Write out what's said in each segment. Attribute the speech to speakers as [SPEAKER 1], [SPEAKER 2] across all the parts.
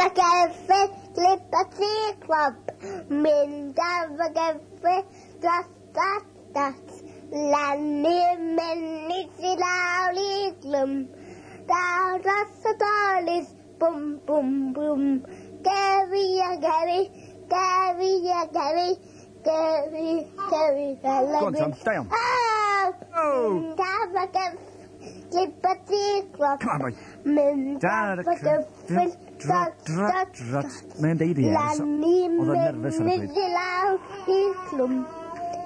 [SPEAKER 1] ar y geffyl, glip a tri clop. Mynd ar y geffyl, dros dot dot. Lan i'r mynydd i lawr i glwm. Daw dros y dolydd, bwm bwm bwm. Geri a Geri, Geri a Geri, Geri, Geri fel y
[SPEAKER 2] Go on, Tom, da iawn.
[SPEAKER 1] Oh!
[SPEAKER 2] Oh!
[SPEAKER 1] Mynd ar y geffyl, glip a tri clop.
[SPEAKER 2] Come on, boy.
[SPEAKER 1] Mynd
[SPEAKER 2] Dar
[SPEAKER 1] ar y geffyl,
[SPEAKER 2] drot,
[SPEAKER 1] dot,
[SPEAKER 2] drot,
[SPEAKER 1] dot,
[SPEAKER 2] drot. Mae'n deud i
[SPEAKER 1] Lan i
[SPEAKER 2] Oedd o'n nerfus ar y
[SPEAKER 1] mynydd
[SPEAKER 2] pryd.
[SPEAKER 1] i lawr i glwm.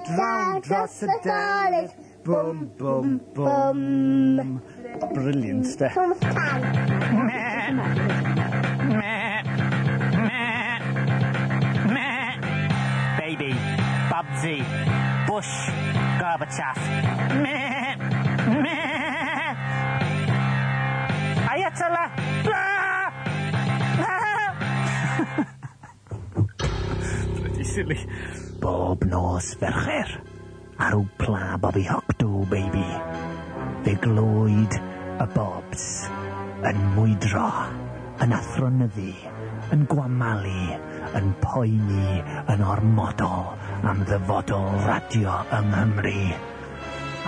[SPEAKER 2] Draw dros y dolydd, bwm, bwm, bwm. Brilliant, de.
[SPEAKER 1] Thomas Tan.
[SPEAKER 3] Baby, Bobsy, Bush, Gorbachev. Meh, meh. Ayatollah. Ah! Ah!
[SPEAKER 2] Bloody silly.
[SPEAKER 3] Bob nos fercher, ar wpla Bobby Hocdw, baby. Fe glwyd y Bobs yn mwydro, yn athronyddu, yn gwamalu, yn poeni, yn ormodol am ddyfodol radio yng Nghymru.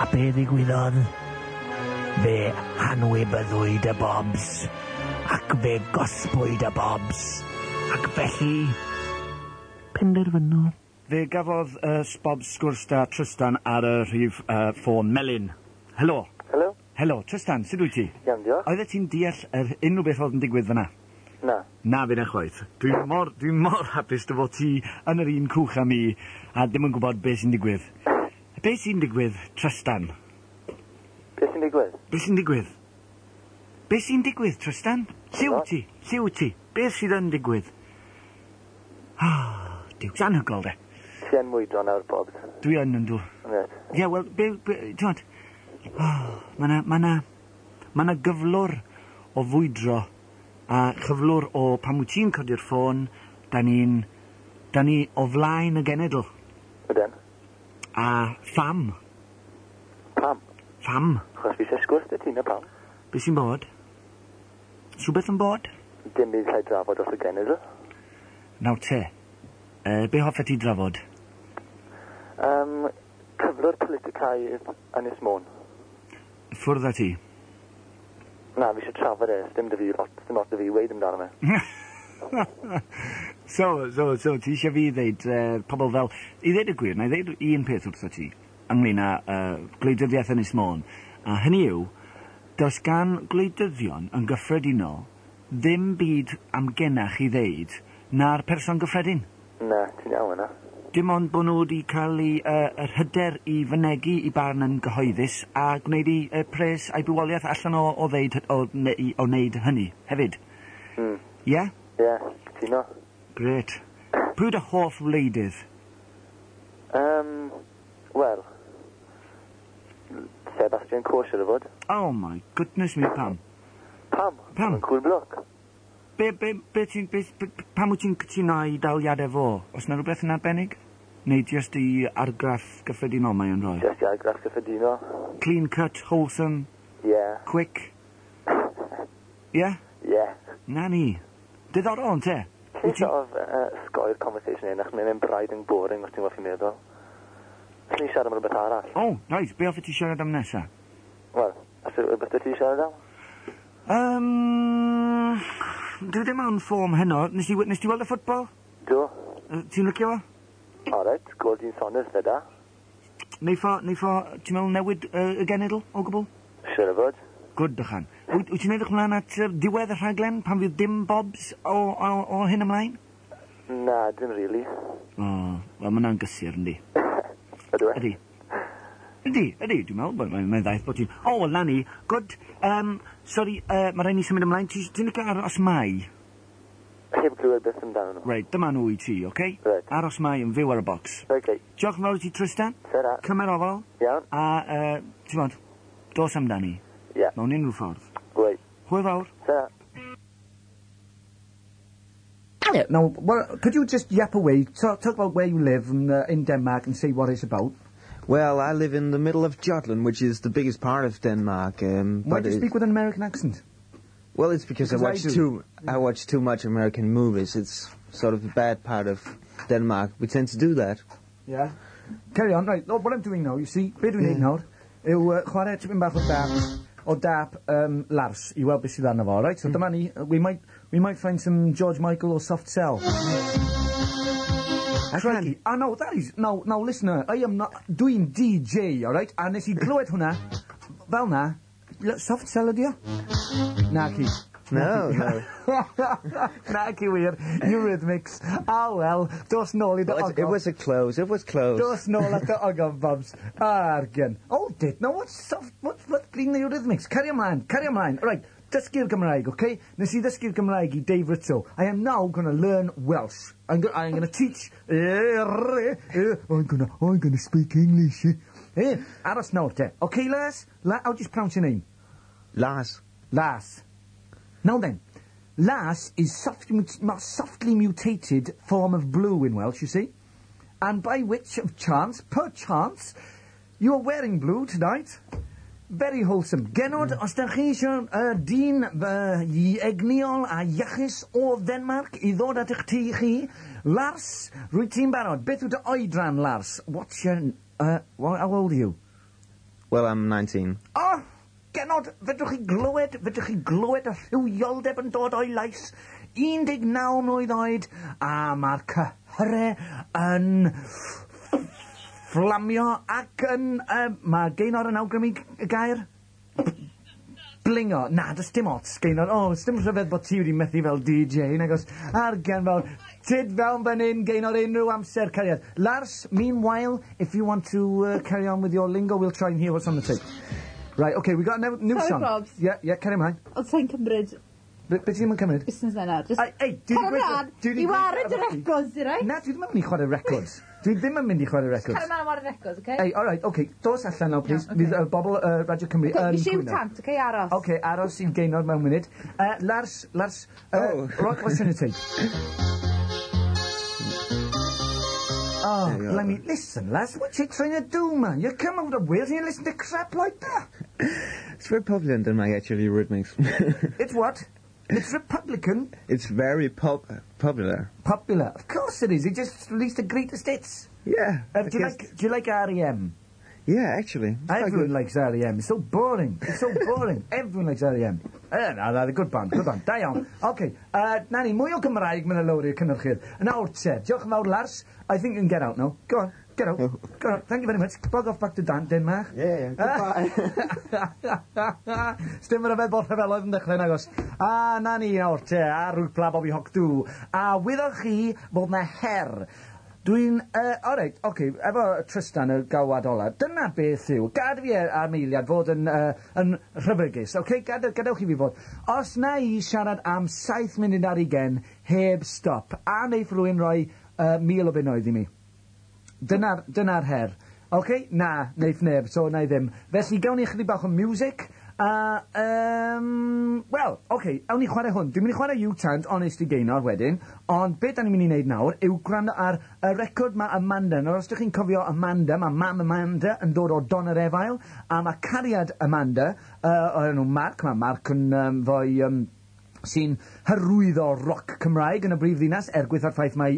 [SPEAKER 3] A be ddigwyddodd? Fe hanwybyddwyd y Bobs, ac fe gosbwyd y Bobs, ac felly penderfynodd.
[SPEAKER 2] Fe gafodd Bob sgwrs da Tristan ar y rhif ffôn melyn. Helo.
[SPEAKER 4] Helo?
[SPEAKER 2] Helo, Tristan, sut wyt ti?
[SPEAKER 4] Iawn, diolch.
[SPEAKER 2] Oeddet ti'n deall yr unrhyw beth oedd yn digwydd fyna?
[SPEAKER 4] Na.
[SPEAKER 2] Na, fi'n chwaith. Dwi'n mor, dwi mor hapus dy fod ti yn yr un cwch â mi a ddim yn gwybod beth sy'n digwydd. Beth sy'n digwydd, Tristan?
[SPEAKER 4] Beth sy'n digwydd?
[SPEAKER 2] Beth sy'n digwydd? Beth sy'n digwydd, Tristan? Lle wyt ti? Lle wyt ti? Beth sydd yn digwydd? Ah, Duw, anhygoel de.
[SPEAKER 4] Ti yn mwydro nawr, Bob.
[SPEAKER 2] Dwi yn yndw.
[SPEAKER 4] Reit.
[SPEAKER 2] Ie, wel, be, ti'n gwbod, oh, ma' 'na, ma' 'na, ma' 'na gyflwr o fwydro a chyflwr o pan wyt ti'n codi'r ffôn, da ni'n, da ni o flaen y genedl.
[SPEAKER 4] Ydyn.
[SPEAKER 2] A pham?
[SPEAKER 4] Pam?
[SPEAKER 2] Pham?
[SPEAKER 4] Achos fi eisiau sgwrs 'da ti, na pam?
[SPEAKER 2] Be sy'n bod? Rhywbeth yn bod?
[SPEAKER 4] Dim byd llai drafod dros y genedl.
[SPEAKER 2] Nawr te, be hoffet ti drafod?
[SPEAKER 4] Cyflwr politicaidd Ynys Môn.
[SPEAKER 2] Ffwrdd â ti.
[SPEAKER 4] Na, fi eisiau trafod e, dim dy fi lot, dim lot dy fi weid amdano fe.
[SPEAKER 2] So, ti eisiau fi ddeud, pobl fel... I ddeud y gwir, na i ddeud un peth wrtho ti ynglyn â gwleidyddiaeth Ynys Môn. A hynny yw, does gan gwleidyddion yn gyffredinol ddim byd amgenach i ddeud na'r person gyffredin.
[SPEAKER 4] Na, ti'n iawn yna.
[SPEAKER 2] Dim ond bod nhw wedi cael eu, yr hyder i fynegi i barn yn gyhoeddus a gwneud i pres a'i bywoliaeth allan o ddeud, o wneud hynny hefyd. Ie? Yeah?
[SPEAKER 4] Ie, yeah, cytuno.
[SPEAKER 2] Grêt. Pwy yw dy hoff wleidydd?
[SPEAKER 4] Wel, Sebastian Coe siŵr o fod.
[SPEAKER 2] Oh my goodness me, pam?
[SPEAKER 4] Pam?
[SPEAKER 2] Pam?
[SPEAKER 4] Mae'n cool bloke.
[SPEAKER 2] Be, ti'n, be, pam wyt ti'n cytuno i daliadau fo? Oes 'na rhywbeth yn arbennig? Neu jyst i argraff gyffredinol mae o'n rhoi?
[SPEAKER 4] Jyst i argraff gyffredinol.
[SPEAKER 2] Clean cut, wholesome,
[SPEAKER 4] Yeah.
[SPEAKER 2] quick. Yeah?
[SPEAKER 4] Yeah.
[SPEAKER 2] Na ni. Diddorol, ynte?
[SPEAKER 4] Ti'n sort of sgoi'r conversation hyn, achos mae'n mynd braidd yn boring os ti'n gwybod chi'n meddwl. Allen ni siarad am rhywbeth arall.
[SPEAKER 2] Oh, right, be hoffet ti siarad am nesa?
[SPEAKER 4] Wel, os yw rhywbeth ti siarad am?
[SPEAKER 2] Dwi ddim mewn form heno. Nes ti weld y ffwtbol?
[SPEAKER 4] Do.
[SPEAKER 2] Ti'n licio fo?
[SPEAKER 4] Alright, gol dyn Saunders fe da.
[SPEAKER 2] Neith o, ti'n meddwl newid y genedl o gwbl?
[SPEAKER 4] Siŵr o fod.
[SPEAKER 2] Good, dychan. Wyt ti'n edrych ymlaen at diwedd y rhaglen pan fydd dim Bobs o hyn ymlaen?
[SPEAKER 4] Na, dim really.
[SPEAKER 2] O, wel, mae hwnna'n gysur, yndi?
[SPEAKER 4] Ydw e?
[SPEAKER 2] Ydy. Ydy, dwi'n meddwl, mae'n ddaeth bod ti'n... O, wel, na ni, good. Sorry, mae rhaid ni symud ymlaen. Ti'n licio aros mai?
[SPEAKER 4] Heb glywed beth amdano nhw.
[SPEAKER 2] Reit, dyma nhw i ti, oce? Okay?
[SPEAKER 4] Reit.
[SPEAKER 2] Aros mai yn fyw ar y bocs.
[SPEAKER 4] Okay.
[SPEAKER 2] Diolch yn fawr i ti, Tristan.
[SPEAKER 4] Tara.
[SPEAKER 2] Cymer ofal.
[SPEAKER 4] Iawn.
[SPEAKER 2] A, ti'n bod, dos amdani.
[SPEAKER 4] Ie. Yeah.
[SPEAKER 2] Mewn unrhyw ffordd.
[SPEAKER 4] Reit.
[SPEAKER 2] Hwyl fawr.
[SPEAKER 4] Tara.
[SPEAKER 2] Yeah, now, well, could you just yap away, talk about where you live in Denmark and say what it's about?
[SPEAKER 5] Well, I live in the middle of Jutland, which is the biggest part of Denmark.
[SPEAKER 2] Why
[SPEAKER 5] But
[SPEAKER 2] do you speak with an American accent?
[SPEAKER 5] Well, it's because,
[SPEAKER 2] Because
[SPEAKER 5] I
[SPEAKER 2] I
[SPEAKER 5] watch
[SPEAKER 2] do.
[SPEAKER 5] too I watch too much American movies. It's sort of the bad part of Denmark. We tend to do that.
[SPEAKER 2] Yeah. Carry on, right. Look, what I'm doing now, you see, be dwi'n neud nawr, yw chwarae tipyn bach o dap Lars i weld beth sydd arno fo, right? So dyma ni, we might find some George Michael or Soft Cell. Crikey. Ah, no, that is... No, no, listener, I am not... Dwi'n DJ, all right? A nes i glywed hwnna, fel na, Soft Cell ydi o? Naci.
[SPEAKER 5] No.
[SPEAKER 2] Naci wir, Eurythmics. Ah, well, dos nôl i dy
[SPEAKER 5] Well, it
[SPEAKER 2] ogof.
[SPEAKER 5] was a close. It was close.
[SPEAKER 2] Dos nôl at dy ogof, Bobs. Argen. Oh, did. No, what's soft... What green Eurythmics? Carry ymlaen, carry ymlaen. Right, dysgu'r Gymraeg, okay? Nes i ddysgu'r Gymraeg i Dave Ritzo. I am now going to learn Welsh. I'm going to teach... I'm going to speak English. Aros nawr, te. Okay, Lars? How do you pronounce your name?
[SPEAKER 5] Lars.
[SPEAKER 2] Lars. Now then, Lars is softly mutated form of blue in Welsh, you see. And by which of chance, perchance, you are wearing blue tonight. Very wholesome. Genod, os da chi eisiau dyn egniol a iachus o Denmark i ddod at eich tŷ chi, Lars, rwy ti'n barod. Beth yw dy oedran, Lars? What's your... How old are you?
[SPEAKER 5] Well, I'm 19.
[SPEAKER 2] Oh, genod, fedrwch chi glywed y rhywioldeb yn dod o'i lais. 19 mlwydd oed, a mae'r cyhyrau yn fflamio ac yn... Mae Gaynor yn awgrymu y gair? Blingo. Na, does dim ots, Gaynor. O, oh, dim rhyfedd bod ti wedi methu fel DJ, nagos. Argen fel, tyd fewn fan hyn, Gaynor, unrhyw amser, cariad. Lars, meanwhile, if you want to carry on with your lingo, we'll try and hear what's on the tape. Right, okay, we got a new
[SPEAKER 6] Sorry,
[SPEAKER 2] song.
[SPEAKER 6] Probs.
[SPEAKER 2] Yeah, carry ymlaen.
[SPEAKER 6] Ond sa'n cymryd
[SPEAKER 2] Be ti ddim yn cymryd?
[SPEAKER 6] busnes yna. Just
[SPEAKER 2] Ei, ei, dwi 'di
[SPEAKER 6] Cario
[SPEAKER 2] gweud-
[SPEAKER 6] mlaen
[SPEAKER 2] dwi 'di
[SPEAKER 6] i
[SPEAKER 2] gweud
[SPEAKER 6] wared y
[SPEAKER 2] efo chdi.
[SPEAKER 6] records, i right?
[SPEAKER 2] Na, dwi ddim yn mynd i chwarae records. Dwi ddim yn mynd i chwarae records.
[SPEAKER 6] Cario mlaen wared records, okay?
[SPEAKER 2] Ei, all right, okay, dos allan now, please.
[SPEAKER 6] Iawn, ocê.
[SPEAKER 2] Fydd bobl Radio Cymru
[SPEAKER 6] Okay,
[SPEAKER 2] yn
[SPEAKER 6] fi siw
[SPEAKER 2] cwyno.
[SPEAKER 6] tant, okay, aros.
[SPEAKER 2] Okay, aros i'n Gaynor mewn munud. Lars, Lars,
[SPEAKER 5] Oh.
[SPEAKER 2] Rock, what's in the tape? Oh,
[SPEAKER 5] There you are.
[SPEAKER 2] blimey, listen, Lars, what you trying to do, man? You come out of Wales and you listen to crap like that.
[SPEAKER 5] It's very popular in Denmark, actually, Eurythmics.
[SPEAKER 2] It's what? It's Republican
[SPEAKER 5] It's very popular.
[SPEAKER 2] Popular. Of course it is. He just released the greatest hits.
[SPEAKER 5] Yeah. I
[SPEAKER 2] Do you
[SPEAKER 5] guess-
[SPEAKER 2] like Do you like REM?
[SPEAKER 5] Yeah, actually. It's quite
[SPEAKER 2] Everyone
[SPEAKER 5] good.
[SPEAKER 2] likes REM. It's so boring. It's so boring. Everyone likes REM. Na, na, good band, good band. Da iawn. OK, na ni, mwy o Gymraeg mynd lawr i'r cynhyrchydd. Nawr te, diolch yn fawr, Lars. I think you can get out now. Go on, get out. Go on. Thank you very much. Bug off back to Denmark.
[SPEAKER 5] Yeah, goodbye.
[SPEAKER 2] Sdim yn rhyfedd bod rhyfeloedd yn dechrau nagos. A na ni nawr te, a rwpla Bobby Hoc Dw. A wyddoch chi bod na her. Dwi'n... Alright, oce, okay, efo Tristan y galwad ola, dyna beth yw. Gad fi am eiliad fod yn rhyfygus, oce? Okay? Gadewch i fi fod. Os na i siarad am 7 munud ar 20 heb stop, a neiff rhywun roi £1,000 i mi. Dyna her. Oce? Okay? Na, neiff neb, so na i ddim. Felly, gawn ni chydig bach o music. A, wel, oce, okay, awn ni chwarae hwn. Dwi'n mynd i chwarae U-Tant, Honest i Gaynor wedyn, ond beth da ni'n mynd i wneud nawr yw gwrando ar y record mae Amanda. Nawr, os ydych chi'n cofio Amanda, mae mam Amanda yn dod o Donyrefail, a mae cariad Amanda, o'r enw Mark, mae Mark yn foi sy'n hyrwyddo roc Cymraeg yn y brif ddinas, er gwaetha'r ffaith mai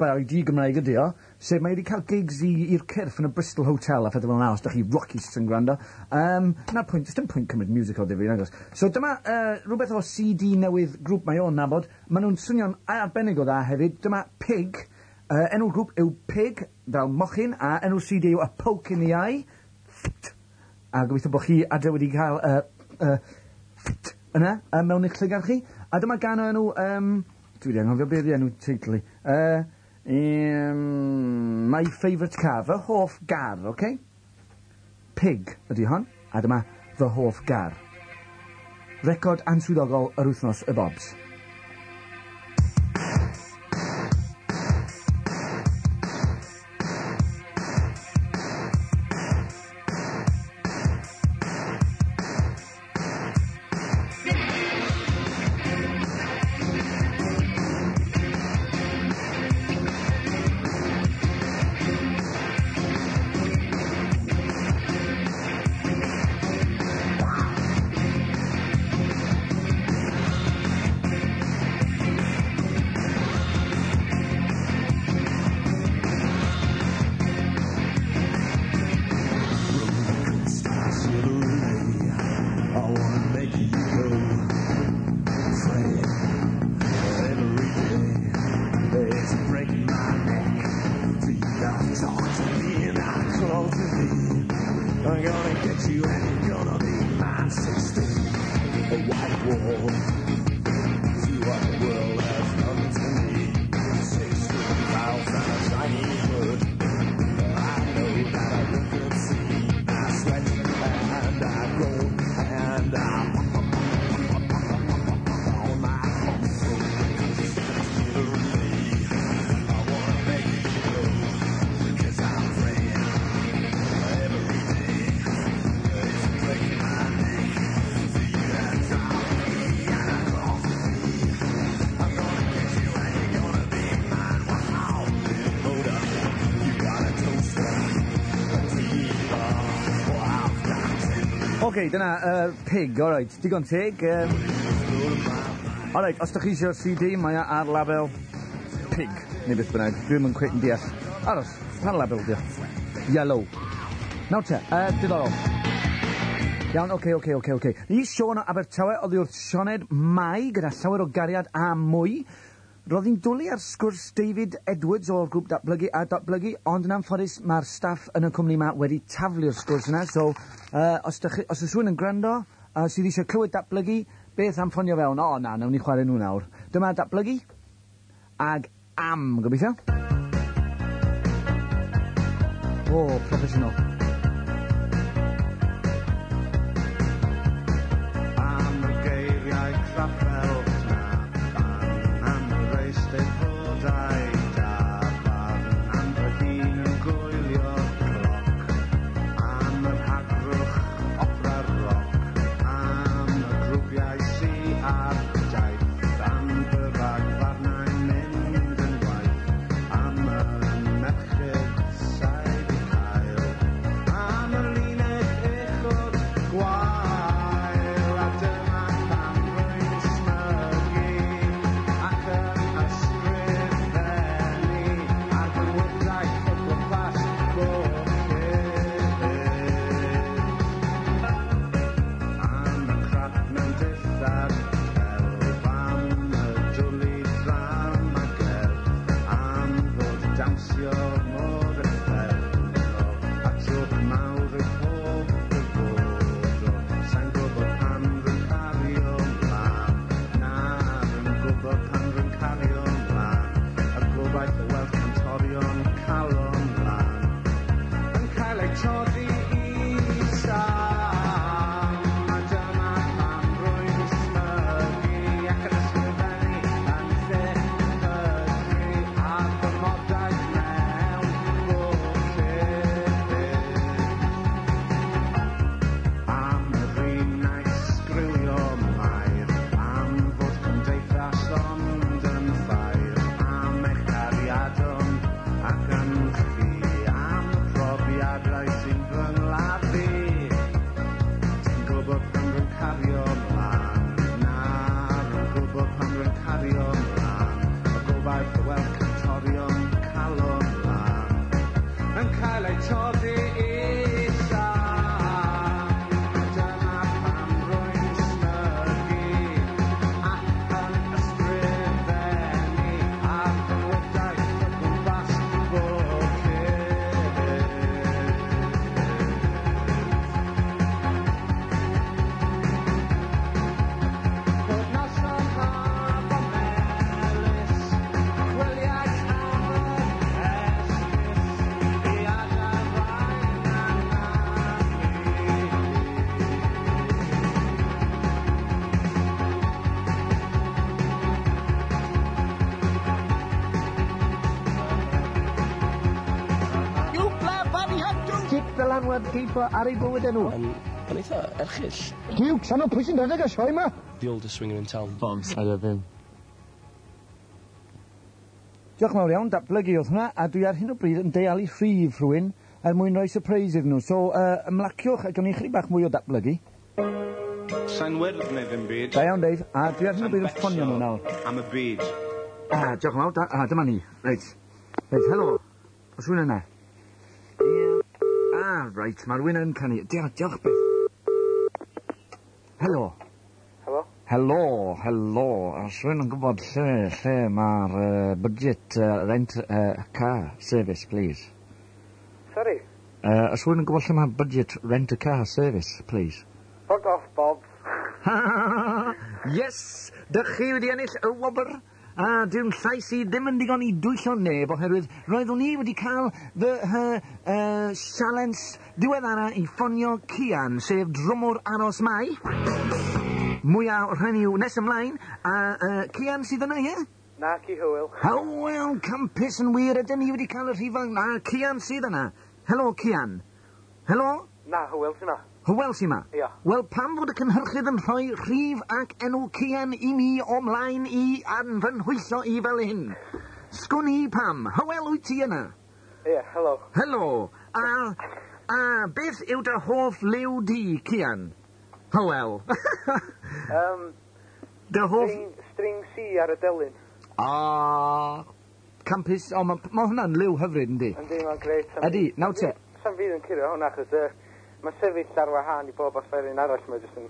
[SPEAKER 2] bai di Gymraeg ydi o, sef mae wedi cael gigs i'r cyrff yn y Bristol Hotel a phethau fel yna, os da chi rockists yn gwrando. Na'r pwynt, does dim pwynt cymryd music o ddifri, nagos. So dyma rhywbeth o CD newydd grŵp mae o'n nabod. Maen nhw'n swnio'n arbennig o dda hefyd. Dyma Pig. Enw'r grŵp yw Pig, fel mochyn, a enw'r CD yw A Poke in the Eye. A gobeithio bod chi adre wedi cael yna, mewn eich llygad chi. A dyma gan o enw... Dwi wedi anghofio beth yw enw teitl i. My Favourite Car, fy hoff gar, oce? Okay? Pig ydy hon, a dyma fy hoff gar. Record answyddogol yr wythnos y Bobs. Oce, dyna Pig, alright. Digon teg. Alright, os ydych chi eisiau'r CD, mae o ar label Pig, neu beth bynnag. Dwi'm yn cweit yn deall. Aros, pa label di o? Yellow. Nawr te, diddorol. Iawn, oce. Ni Siôn o Abertawe oddi wrth Sioned Mai gyda llawer o gariad a mwy. Roedd hi'n dwlu ar sgwrs David Edwards o'r grŵp Datblygu a Datblygu, ond yn anffodus mae'r staff yn y cwmni yma wedi taflu'r sgwrs yna, so os oes rhywun yn gwrando sydd eisiau clywed Datblygu, beth am ffonio fewn? O, na, nawn ni chwarae nhw nawr. Dyma Datblygu, ag am, gobeithio. O, proffesiynol.
[SPEAKER 7] Am y geiriau craffel na, am yr eisteddfodau da, barn am fy hun yn gwylio cloc, am yr hagrwch opera roc, am y grwpiau sy ar daith, am fy rhagfarnau'n mynd yn waith, am y merched sa'i 'di cael, am y linell uchod gwael, a dyma pam rwy'n smygu ac yn ysgrifennu ar fy ngwibdaith o gwmpas bwlch. Am y crap mewn dillad celf, am y dwli drama gerdd, am fod dawnsio mor uffernol, a jôc mawr yw pob dyfodol. Sai'n gwybod pam rwy'n cario mlaen, na, rwy'n gwybod pam rwy'n cario mlaen, y gobaith o weld cantorion calon lân yn cael eu toddi i sam. A dyma pam rwy'n smygu ac yn ysgrifennu yn lle pydru ar fy modaeth mewn bwlch. Am yr un wnaeth sgriwio Mair, am fod cymdeithas ond yn ffair, am eich cariadon ac yn chi, am y profiadau sy'n fy ngladdu. Ti'n gwybod pam rwy'n cario mlaen, na, rwy'n gwybod pam rwy'n cario mlaen, y gobaith o weld cantorion calon lân yn cael eu toddi i sam. Dyma pam rwy'n smygu ac yn ysgrifennu ar fy ngwibdaith o gwmpas bwlch. Pob noson haf a melys, chwiliais am yr esgus i adael rhain anafu.
[SPEAKER 3] You play Bobby Hop Cip dylanwad geifo ar ei bywyd enw.
[SPEAKER 8] Yn eitha erchyll.
[SPEAKER 3] Duw, sano pwy sy'n rhedeg y sioe yma?
[SPEAKER 8] The oldest swinger in town.
[SPEAKER 5] Bombs. I love him.
[SPEAKER 2] Diolch yn fawr iawn, Datblygu oedd hwnna, a dwi ar hyn o bryd yn deialu rhif rhywun er mwyn rhoi surprise iddyn nhw. So, ymlaciwch a gawn ni chydig bach mwy o Datblygu.
[SPEAKER 7] Sa'n wyrdd neu ddim byd.
[SPEAKER 2] Da iawn, Dave. A dwi ar hyn o bryd yn ffonio nhw nawr.
[SPEAKER 7] Am y byd.
[SPEAKER 2] Ah, diolch yn fawr. Dyma ni. Reit. Reit, helo. Oes rhywun yna? Ie. Ah, reit, mae rhywun yn canu. Diolch, diolch beth. Helo.
[SPEAKER 4] Helo?
[SPEAKER 2] Helo, helo. Oes rhywun yn gwybod lle mae'r budget rent car service, please?
[SPEAKER 4] Sorry.
[SPEAKER 2] Oes rhywun yn gwybod lle mae budget rent a car service, please?
[SPEAKER 4] Fuck off, Bob.
[SPEAKER 2] Yes! Dych chi wedi ennill y wobr. A dyw'n llais i ddim yn digon i dwyllo neb oherwydd roeddwn i wedi cael fy sialens diweddara i ffonio Cian, sef drwmwr Aros Mai. Mwyaf o'r rhain yw nes ymlaen, a Cian sydd yna, ie?
[SPEAKER 4] Na, ci Hywel.
[SPEAKER 2] Hywel, campus yn wir, ydyn ni wedi cael y rhifau. Na, Cian sydd yna. Helo, Cian. Helo?
[SPEAKER 4] Na, Hywel sy'n na.
[SPEAKER 2] Hywel sy'n ma?
[SPEAKER 4] Ia.
[SPEAKER 2] Wel, pam fod y cynhyrchydd yn rhoi rhif ac enw Cian i mi o mlaen i a'n fy nhwyllo i fel hyn? Sgwn i pam. Hywel, wyt ti yna?
[SPEAKER 4] Ie, helo.
[SPEAKER 2] Helo. A beth yw dy hoff liw di, Cian? Hywel. Dy hoff...
[SPEAKER 9] String C ar y delyn.
[SPEAKER 2] Ah, campus. O, mae ma hwnna'n liw hyfryd, yndi?
[SPEAKER 9] Yndi, mae'n grêt.
[SPEAKER 2] Ydy, nawr te.
[SPEAKER 9] Sam fydd yn curio hwnna, achos mae'n sefyll ar wahân i bob offeryn arall. Mae'n jyst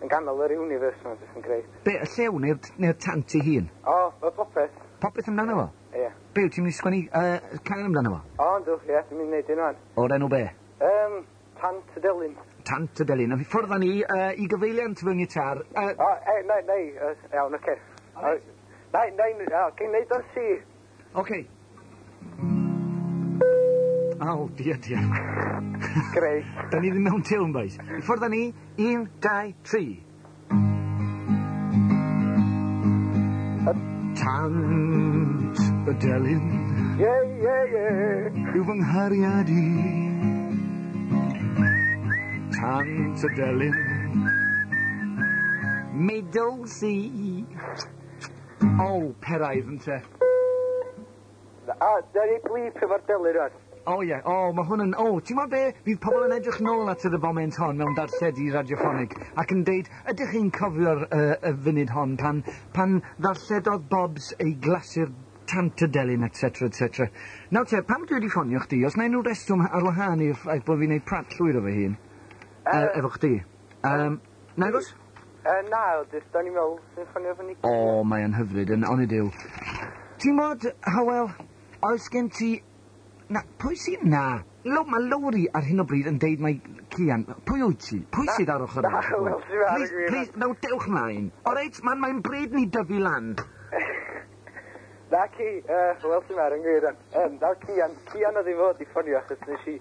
[SPEAKER 9] yn ganol yr universe, mae'n jyst yn grêt.
[SPEAKER 2] Be, y llew neu'r tant ei hun?
[SPEAKER 9] O, mae popeth.
[SPEAKER 2] Popeth amdano fo?
[SPEAKER 9] Ie.
[SPEAKER 2] Be, wyt ti'n mynd i sgwennu can amdano fo?
[SPEAKER 9] O, yndw, ie, dwi'n mynd i wneud un wan.
[SPEAKER 2] O'r enw be?
[SPEAKER 9] Tant y Delyn.
[SPEAKER 2] Tant y Delyn. A ffwrdd â ni i gyfeiliant fy ngitar.
[SPEAKER 9] O, e, nai, iawn, oce. Nai, nai, o, cyn neud o'n C.
[SPEAKER 2] Oce. O, dia, dia.
[SPEAKER 9] Greu.
[SPEAKER 2] Da ni ddim mewn tiwn, boys. I ffwrdd â ni, 1, 2, 3. Tant y delyn.
[SPEAKER 9] Ie, ie, ie.
[SPEAKER 2] Yw fy nghariad i. Tant y delyn. Middle C. O, peraidd ynte.
[SPEAKER 9] A, da ni blip efo'r delyn rwan.
[SPEAKER 2] O ie, o, mae hwn yn... O, ti'n gwybod be? Fydd pobl yn edrych nôl at y foment hon mewn darlledu radioffonig ac yn deud, ydych chi'n cofio'r y funud hon pan ddarlledodd Bobs ei glasur tant y delyn, etc, etc. Nawr te, pam dwi wedi ffonio chdi? Os na unrhyw reswm ar wahân i'r ffaith bod fi'n neud prat llwyr o fy hun efo chdi? Nagos?
[SPEAKER 9] Na, jyst o'n i'n meddwl sy'n ffonio fyny.
[SPEAKER 2] O, mae yn hyfryd, yn onid yw. Ti'n mod, Hywel, oes gen ti... Na, pwy sy'n na? Mae Lowri ar hyn o bryd yn deud mai Cian. Pwy wyt ti? Pwy sydd ar ochr
[SPEAKER 9] Na, Hywel sydd ar y
[SPEAKER 2] Please,
[SPEAKER 9] gwir.
[SPEAKER 2] please, naw, dewch mlaen. O reit, mae'n bryd ni dyfu lan.
[SPEAKER 9] Na, ci, Hywel sydd ar yn gwir. Na, Cian oedd i fod i ffonio achos nes i...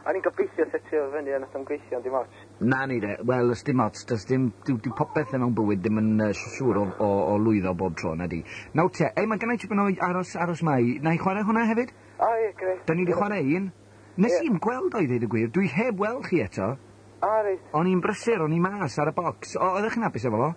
[SPEAKER 9] O'n i'n gobeithio setio fo fyny a nath o'n gweithio ond dim ots.
[SPEAKER 2] Na ni de, wel, ys dim ots, does dim, dyw popeth mewn bywyd ddim yn siŵr o lwyddo bob tro, na di. Nawr te, ei, mae gennai tipyn o aros mai. Na i chwarae hwnna hefyd?
[SPEAKER 9] O, ie, grêt.
[SPEAKER 2] Da ni wedi chwarae un. Nes i'm gweld o i ddeud y gwir, dwi heb weld chi eto.
[SPEAKER 9] O, reit.
[SPEAKER 2] O'n i'n brysur, o'n i mas ar y bocs. O, oeddech chi'n hapus efo fo?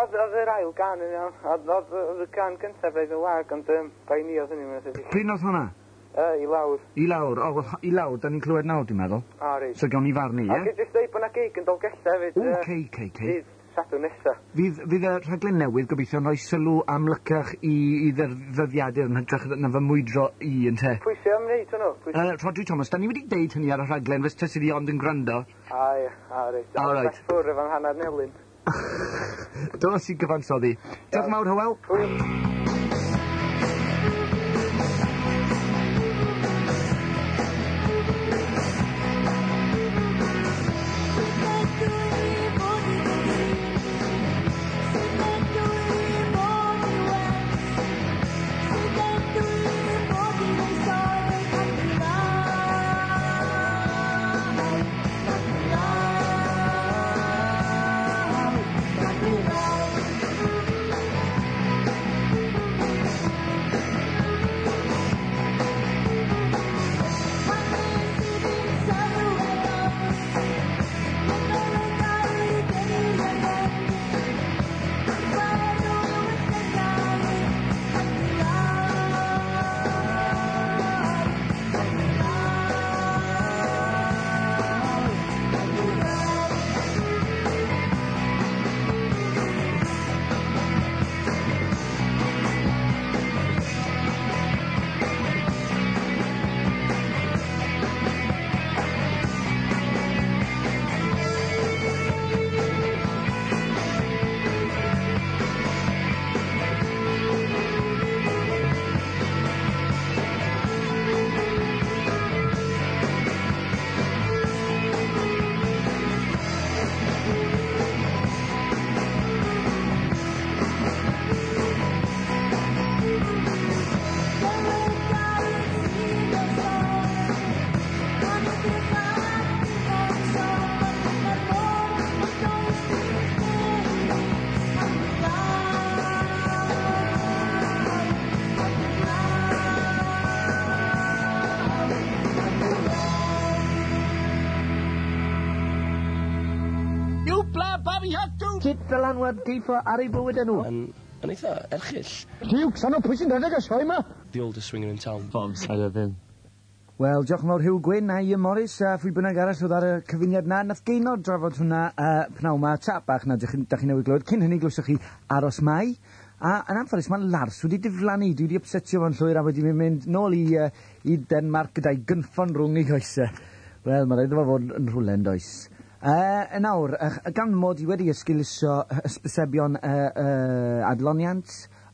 [SPEAKER 9] Oedd yr ail gan yn iawn. Oedd y gan gyntaf braidd yn wag, ond bai ni oedd hynny, mae'n debyg.
[SPEAKER 2] Pryd oedd hwnna?
[SPEAKER 9] I lawr.
[SPEAKER 2] I lawr, o, wel, i lawr, da ni'n clywed nawr, dwi'n meddwl.
[SPEAKER 9] O, reit.
[SPEAKER 2] So gawn ni farnu,
[SPEAKER 9] A
[SPEAKER 2] ie?
[SPEAKER 9] gei jyst dweud bod na gig yn Dolgellau hefyd.
[SPEAKER 2] O, cei, cei, cei.
[SPEAKER 9] Dydd Sadwrn nesa.
[SPEAKER 2] Fydd y rhaglen newydd gobeithio'n rhoi sylw amlycach i ddyddiadur yn hytrach na fy mwydro i, ynte?
[SPEAKER 9] Pwy sy'n am wneud hwnnw?
[SPEAKER 2] Rhodri Thomas, da ni wedi deud hynny ar y rhaglen, fes tysi di ond yn gwrando.
[SPEAKER 9] A, ie, a, reit.
[SPEAKER 2] All right.
[SPEAKER 9] Ffwr efo'n hanner nelyn.
[SPEAKER 2] Dos i gyfansoddi. Diolch mawr, Hywel.
[SPEAKER 9] Hwyl.
[SPEAKER 3] Sut ddylanwad geifo ar ei bywyd nhw?
[SPEAKER 8] Yn eitha erchyll.
[SPEAKER 3] Duw, sano pwy sy'n rhedeg y sioe yma?
[SPEAKER 8] The oldest swinger in town.
[SPEAKER 10] Bobs, I love him.
[SPEAKER 2] Wel, diolch yn fawr Hugh Gwyn a Ian Morris a phwy bynnag arall oedd ar y cyfuniad na. Nath Gaynor drafod hwnna pnawn ma, tap bach na dych chi newydd glywed. Cyn hynny glywsoch chi Aros Mai. A yn anffodus mae Lars wedi diflannu. Dwi wedi upsetio fo'n llwyr a wedi mynd nôl i Denmark gyda'i gynffon rhwng ei goesau. Wel, mae rhaid iddo fo fod yn rhywle yn does. Yn awr, gan mod i wedi esgeuluso hysbysebion adloniant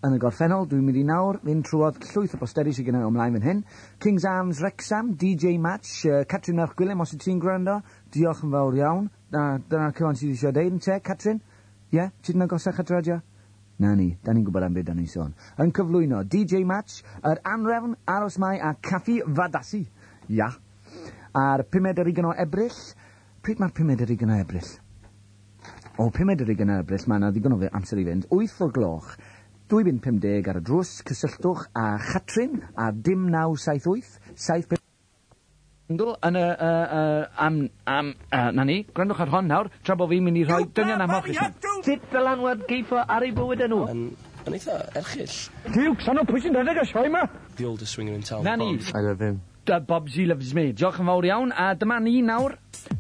[SPEAKER 2] yn y gorffennol, dwi'n mynd i nawr fynd trwodd llwyth o bosteri sydd gen i ymlaen fan hyn. King's Arms Wrexham, DJ Match, Catrin Merch Gwilym, os wyt ti'n gwrando, diolch yn fawr iawn. Dyna'r cyfan sydd eisiau deud, ynte, Catrin? Ie, yeah? Ti'n agosach at radio? Na ni, da ni'n gwybod am beth da ni'n sôn. Yn cyflwyno DJ Match, yr Anrefn, Aros Mai a Caffi Fadasi. Ia. A'r 25 o Ebrill. Pryd mae'r 25 o Ebrill? O, 25 o Ebrill, mae yna ddigon o amser i fynd. 8 o gloch. 2.50 ar y drws, cysylltwch â Chatrin a dim 978 75 yn y, am, na ni, gwrandwch ar hon nawr, tra bod fi'n mynd i rhoi dynion am hoch i chi.
[SPEAKER 3] Sut dylanwad geifo ar ei bywyd nhw?
[SPEAKER 8] Yn eitha erchyll.
[SPEAKER 2] Duw, sano pwy sy'n rhedeg y sioe ma?
[SPEAKER 8] The oldest swinger in town.
[SPEAKER 2] Na ni.
[SPEAKER 5] I love him.
[SPEAKER 2] Bobsy loves me. Diolch yn fawr iawn. A dyma ni nawr,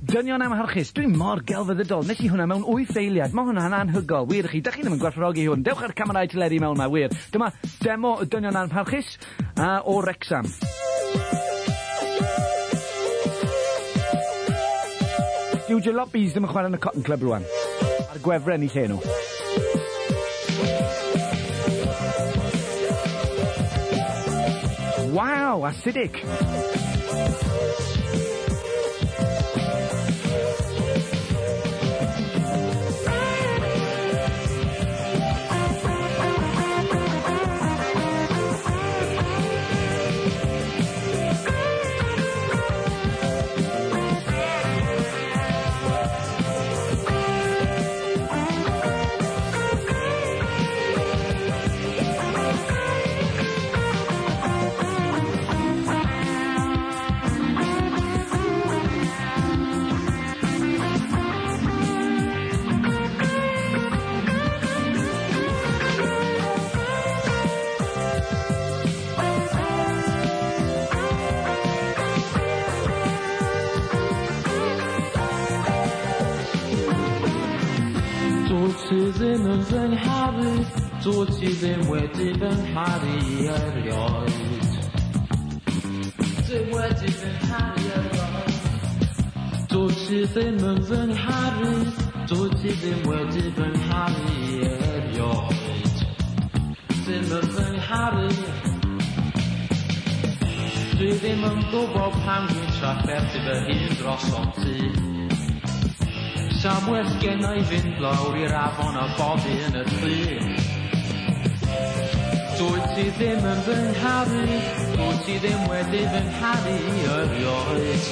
[SPEAKER 2] dynion amharchus. Dwi'n mor gelfyddydol. Nes i hwnna mewn 8 eiliad. Mae hwnna'n anhygol. Wir i chi. Dach chi ddim yn gwerthfawrogi hwn. Dewch â'r camerau teledu mewn ma, wir. Dyma demo y dynion amharchus o Wrexham. Dyw jalopies ddim yn chwarae yn y Cotton Club rwan. A'r gwefren i lle nhw. Waw, acidic.
[SPEAKER 10] Dwyt ti ddim yn fy ngharu, dwyt ti ddim wedi fy ngharu erioed. Ddim wedi fy ngharu erioed. Dwyt ti ddim yn fy ngharu, dwyt ti ddim wedi fy ngharu erioed. Ddim yn fy ngharu. Dwi ddim yn gwybod pam dwi'n trafferthu fy hun drosodd ti. Sa well gen i fynd lawr i'r afon a boddi yn y tŷ. Dwyt ti ddim yn fy ngharu, dwyt ti ddim wedi fy ngharu erioed.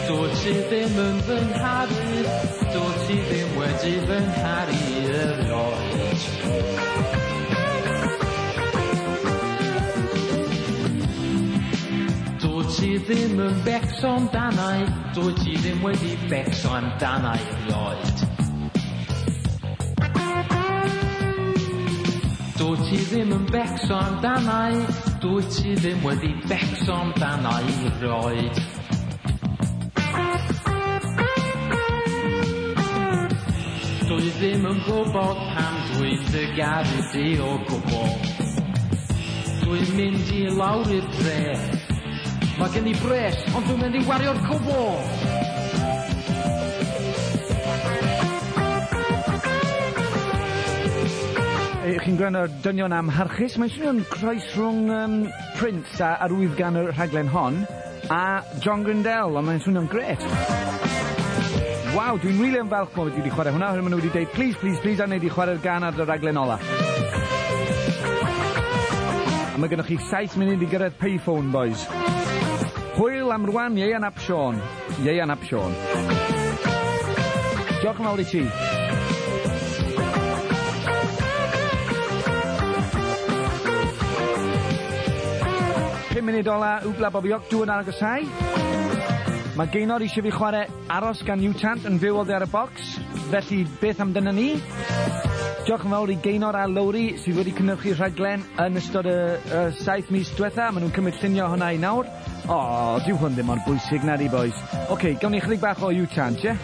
[SPEAKER 10] Dwyt ti ddim yn fy ngharu, dwyt ti ddim wedi fy ngharu erioed. Dwyt ti ddim yn becso amdanai, dwyt ti ddim wedi becso amdanai erioed. Dwyt ti ddim yn becso amdanai, dwyt ti ddim wedi becso amdanai erioed. Dwi ddim yn gwybod pam dwi'n dy garu di o gwbl. Dwi'n mynd i lawr i'r dre. Mae gen i bres, ond dwi'n mynd i wario'r cwbl.
[SPEAKER 2] Chi'n gwrando ar dynion amharchus. Mae'n swnio'n croes rhwng Prince a arwydd gan y rhaglen hon a John Grindel, ond mae'n swnio'n gret. Waw, dwi'n rili yn falch mod i wedi chwarae hwnna. Oherwydd maen nhw wedi deud, please, please, please, a wneud i chwarae'r gan ar y rhaglen ola. A mae gennych chi 7 munud i gyrraedd payphone, boys. Hwyl am rwan, Ieuan ap Siôn. Ieuan ap Siôn. Diolch yn fawr i ti. Pum munud ola, Wbla Bobi Ocdw yn agosau. Mae Gaynor eisiau fi chwarae Aros gan Newtant yn fyw oddi ar y bocs. Felly, beth amdano ni? Diolch yn fawr i Gaynor a Lowri sydd wedi cynhyrchu rhaglen yn ystod y 7 mis diwetha. Maen nhw'n cymryd llunio hwnna i nawr. O, dyw hwn ddim mor bwysig na di, boys. Oce, gawn ni chydig bach o U-chant, ie?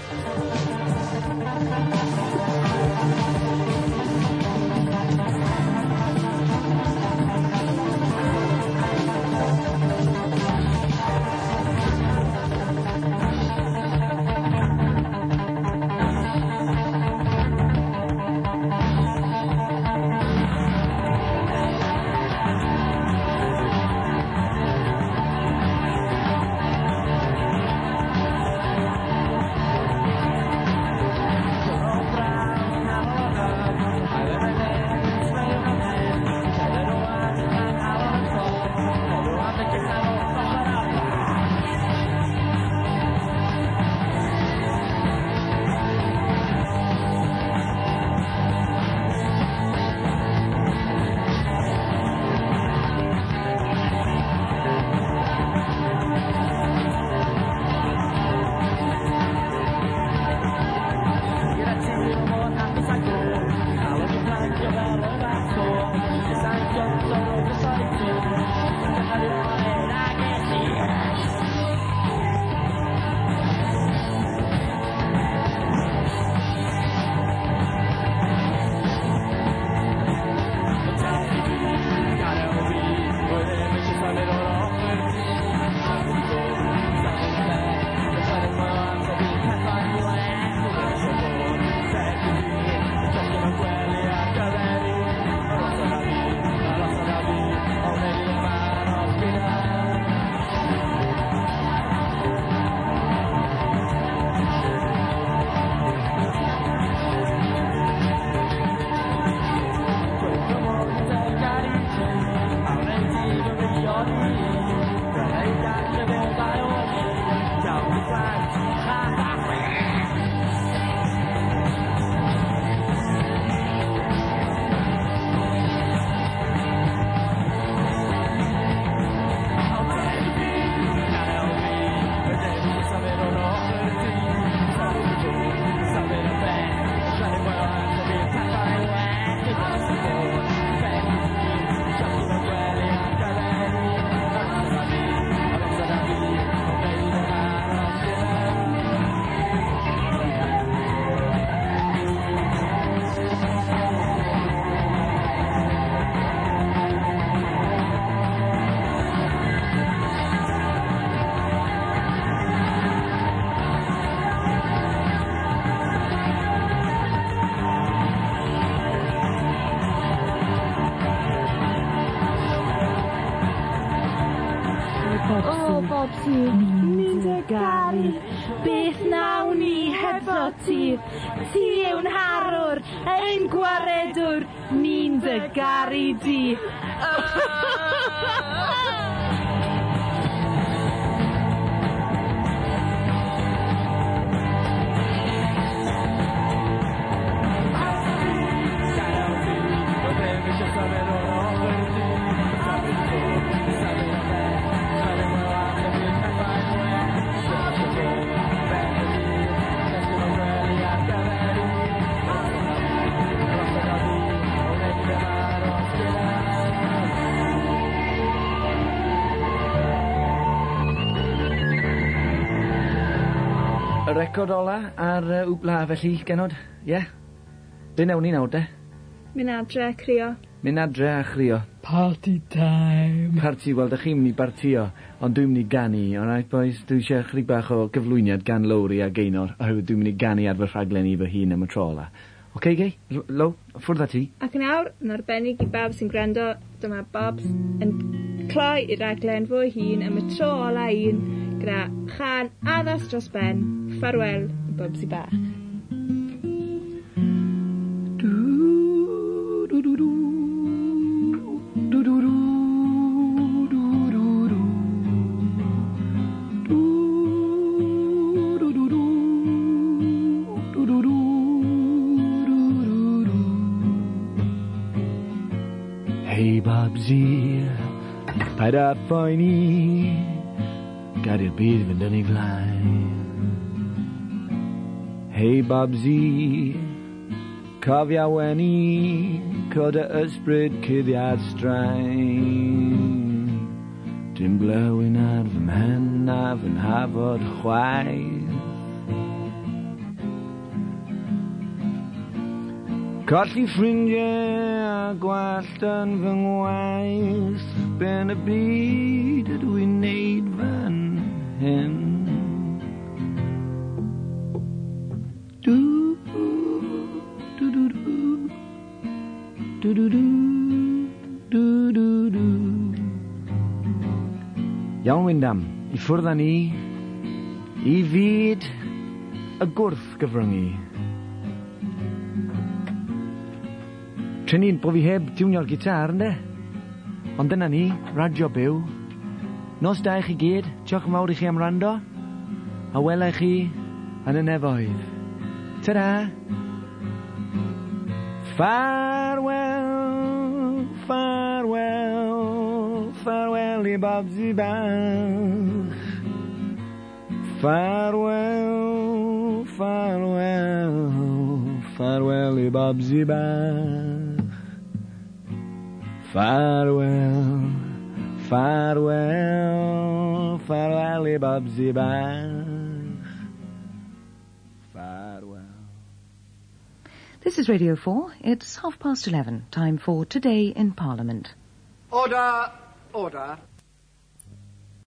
[SPEAKER 6] O, Bobsy, ni'n dy garu. Beth nawn ni hebddo ti? Ti yw'n harwr, ein gwaredwr, ni'n dy garu di.
[SPEAKER 2] Y record ola ar Wpla, felly, genod, ie? Yeah? Be newn ni nawr, de?
[SPEAKER 11] Mynd adre, crio.
[SPEAKER 2] Mynd adre a chrio.
[SPEAKER 10] Party time.
[SPEAKER 2] Party, wel, dych chi'n mynd i bartio, ond dwi'n mynd i ganu, alright boys? Dwi eisiau chydig bach o gyflwyniad gan Lowri a Gaynor, oherwydd dwi'n mynd i ganu ar fy rhaglen i fy hun am y tro ola. Oce, Gay? Low, ffwrdd â ti.
[SPEAKER 11] Ac yn awr, yn arbennig i bawb sy'n gwrando, dyma Bobs yn cloi i raglen fwy hun am y tro ola un gyda chan addas dros ben. Ffarwel, Bobsy bach.
[SPEAKER 2] Du, du, du, du. Du, du, du, du, du, du. Du, du, du, du. Du, du, du, du, du, du. Hey Bobsy, paid â phoeni, gad i'r byd fynd yn ei flaen. Hey Bobsy, Cofia weni, cod y ysbryd cuddiad straen. Dim glywyn ar fy mhen a fy nhafod chwaith. Colli ffrindiau a gwallt yn fy ngwaith. Ben y byd ydw i'n neud fan hyn. Du, du, du, du. Du, du, du, du, du, du. Iawn, Wyndham, i ffwrdd â ni, i fyd y gwrth gyfryngu. Trin bo fi heb tiwnio'r gitar, ynde? Ond dyna ni, radio byw. Nos da i chi gyd, diolch yn fawr i chi am rando, a wela i chi yn y nefoedd. Ta-ra! Farewell, farewell, farewell i Bobsy bach. Farewell, farewell, farewell i Bobsy bach. Farewell, farewell, farewell i Bobsy bach. Farewell.
[SPEAKER 12] This is Radio 4. It's 11:30, time for Today in Parliament.
[SPEAKER 13] Order, order.